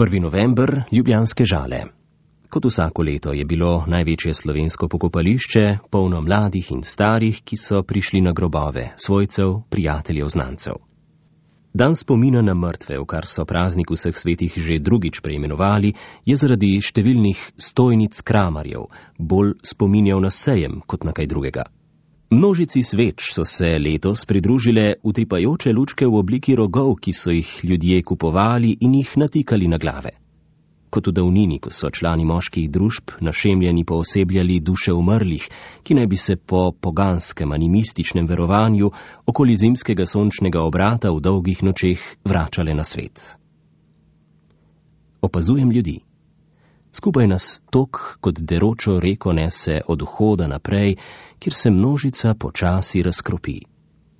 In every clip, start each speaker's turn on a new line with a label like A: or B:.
A: 1. november, Ljubljanske Žale. Kot vsako leto je bilo največje slovensko pokopališče polno mladih in starih, ki so prišli na grobove svojcev, prijateljev, znancev. Dan spomina na mrtve, v kar so praznik vseh svetih že drugič preimenovali, je zaradi številnih stojnic kramarjev bolj spominjal na sejem kot na kaj drugega. Množici sveč so se letos pridružile utripajoče lučke v obliki rogov, ki so jih ljudje kupovali in jih natikali na glave. Kot v davnini, ko so člani moških družb našemljeni poosebljali duše umrlih, ki naj bi se po poganskem animističnem verovanju okoli zimskega sončnega obrata v dolgih nočeh vračale na svet. Opazujem ljudi. Skupaj nas tok kot deročo reko nese od vhoda naprej, kjer se množica počasi razkropi.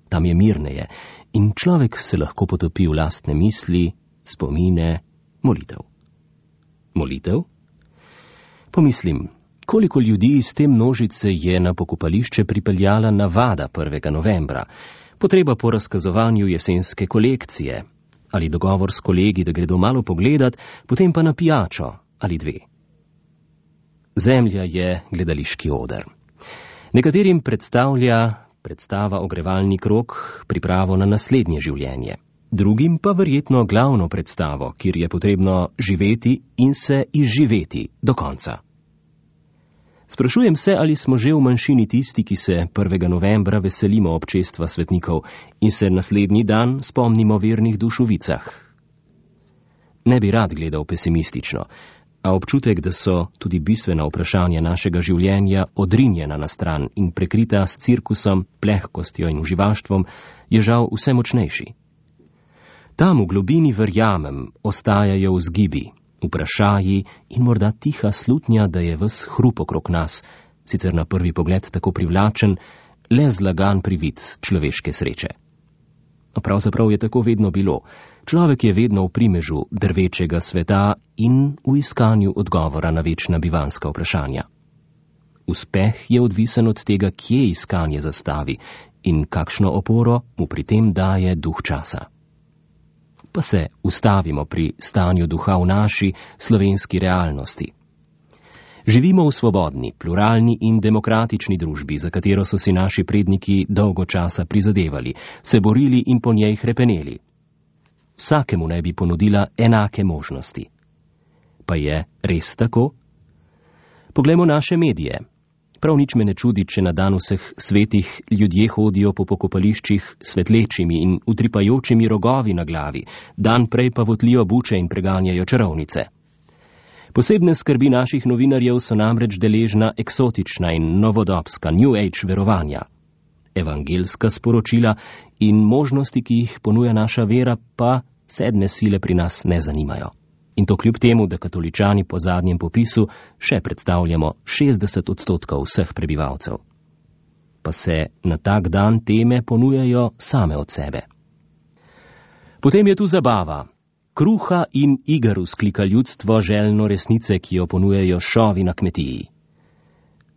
A: Tam je mirneje in človek se lahko potopi v lastne misli, spomine, molitev. Molitev? Pomislim, koliko ljudi iz te množice je na pokopališče pripeljala navada 1. novembra, potreba po razkazovanju jesenske kolekcije, ali dogovor s kolegi, da gredo malo pogledat, potem pa na pijačo ali dve. Zemlja je gledališki oder. Nekaterim predstavlja predstava ogrevalni krog pripravo na naslednje življenje, drugim pa verjetno glavno predstavo, kjer je potrebno živeti in se izživeti do konca. Sprašujem se, ali smo že v manjšini tisti, ki se 1. novembra veselimo občestva svetnikov in se naslednji dan spomnimo vernih duš v vicah. Ne bi rad gledal pesimistično, a občutek, da so tudi bistvena vprašanja našega življenja odrinjena na stran in prekrita s cirkusom, plehkostjo in uživaštvom, je žal vse močnejši. Tam v globini, verjamem, ostajajo vzgibi, vprašaji in morda tiha slutnja, da je ves hrup okrog nas, sicer na prvi pogled tako privlačen, le zlagan privid človeške sreče. Pravzaprav je tako vedno bilo. Človek je vedno v primežu drvečega sveta in v iskanju odgovora na večna bivanska vprašanja. Uspeh je odvisen od tega, kje iskanje zastavi in kakšno oporo mu pri tem daje duh časa. Pa se ustavimo pri stanju duha v naši slovenski realnosti. Živimo v svobodni, pluralni in demokratični družbi, za katero so si naši predniki dolgo časa prizadevali, se borili in po njej hrepeneli. Vsakemu naj bi ponudila enake možnosti. Pa je res tako? Poglejmo naše medije. Prav nič me ne čudi, če na dan vseh svetih ljudje hodijo po pokopališčih svetlečimi in utripajočimi rogovi na glavi, dan prej pa votlijo buče in preganjajo čarovnice. Posebne skrbi naših novinarjev so namreč deležna eksotična in novodobska New Age verovanja. Evangelska sporočila in možnosti, ki jih ponuja naša vera, pa sedme sile pri nas ne zanimajo. In to kljub temu, da katoličani po zadnjem popisu še predstavljamo 60% vseh prebivalcev. Pa se na tak dan teme ponujajo same od sebe. Potem je tu zabava. Kruha in iger vzklika ljudstvo željno resnice, ki jo ponujajo šovi na kmetiji.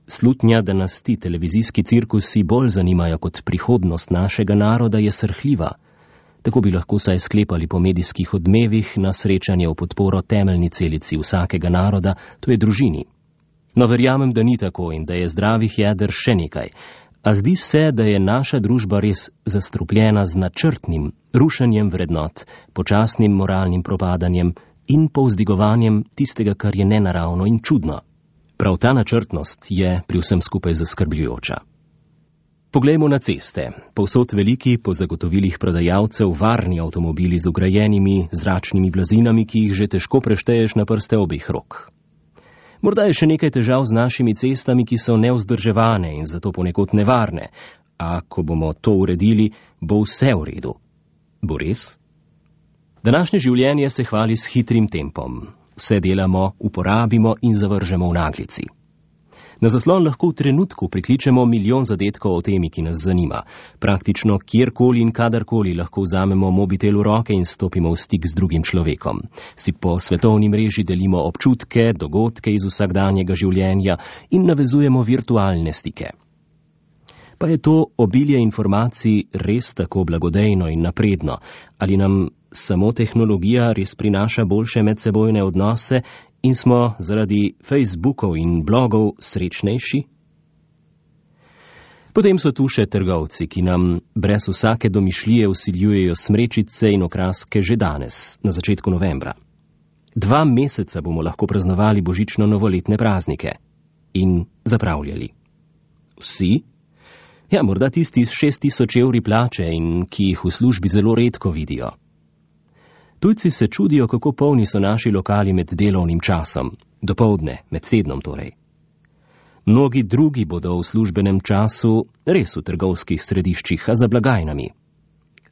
A: Slutnja, da nas ti televizijski cirkusi bolj zanimajo kot prihodnost našega naroda, je srhljiva. Tako bi lahko saj sklepali po medijskih odmevih na srečanje v podporo temeljni celici vsakega naroda, to je družini. No, verjamem, da ni tako in da je zdravih jeder še nekaj. A zdi se, da je naša družba res zastrupljena z načrtnim rušenjem vrednot, počasnim moralnim propadanjem in povzdigovanjem tistega, kar je nenaravno in čudno. Prav ta načrtnost je pri vsem skupaj zaskrbljujoča. Poglejmo na ceste. Povsod veliki, po zagotovilih prodajalcev, varni avtomobili z vgrajenimi zračnimi blazinami, ki jih že težko prešteješ na prste obeh rok. Morda je še nekaj težav z našimi cestami, ki so nevzdrževane in zato ponekod nevarne, a ko bomo to uredili, bo vse v redu. Bo res? Današnje življenje se hvali s hitrim tempom. Vse delamo, uporabimo in zavržemo v naglici. Na zaslon lahko v trenutku prikličemo milijon zadetkov o temi, ki nas zanima. Praktično kjerkoli in kadarkoli lahko vzamemo mobitel v roke in stopimo v stik z drugim človekom. Si po svetovni mreži delimo občutke, dogodke iz vsakdanjega življenja in navezujemo virtualne stike. Pa je to obilje informacij res tako blagodejno in napredno? Ali nam samo tehnologija res prinaša boljše medsebojne odnose in smo zaradi Facebookov in blogov srečnejši? Potem so tu še trgovci, ki nam brez vsake domišljije vsiljujejo smrečice in okraske že danes, na začetku novembra. 2 meseca bomo lahko praznovali božično-novoletne praznike in zapravljali. Vsi? Ja, morda tisti s 6.000 evri plače in ki jih v službi zelo redko vidijo. Tujci se čudijo, kako polni so naši lokali med delovnim časom, dopoldne, med tednom torej. Mnogi drugi bodo v službenem času res v trgovskih središčih, a za blagajnami.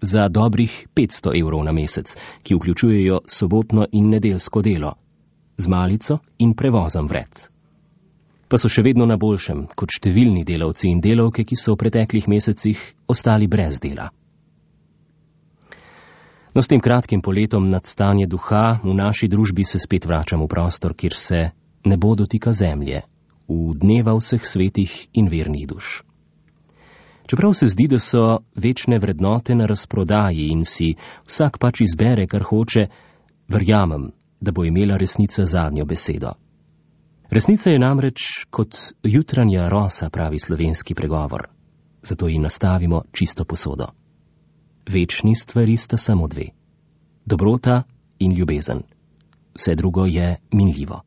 A: Za dobrih 500 evrov na mesec, ki vključujejo sobotno in nedeljsko delo, z malico in prevozom vred. Pa so še vedno na boljšem, kot številni delavci in delavke, ki so v preteklih mesecih ostali brez dela. No, s tem kratkim poletom nad stanje duha v naši družbi se spet vračam v prostor, kjer se nebo dotika zemlje, v dneva vseh svetih in vernih duš. Čeprav se zdi, da so večne vrednote na razprodaji in si vsak pač izbere, kar hoče, verjamem, da bo imela resnica zadnjo besedo. Resnica je namreč kot jutranja rosa, pravi slovenski pregovor. Zato ji nastavimo čisto posodo. Večni stvari sta samo 2. Dobrota in ljubezen. Vse drugo je minljivo.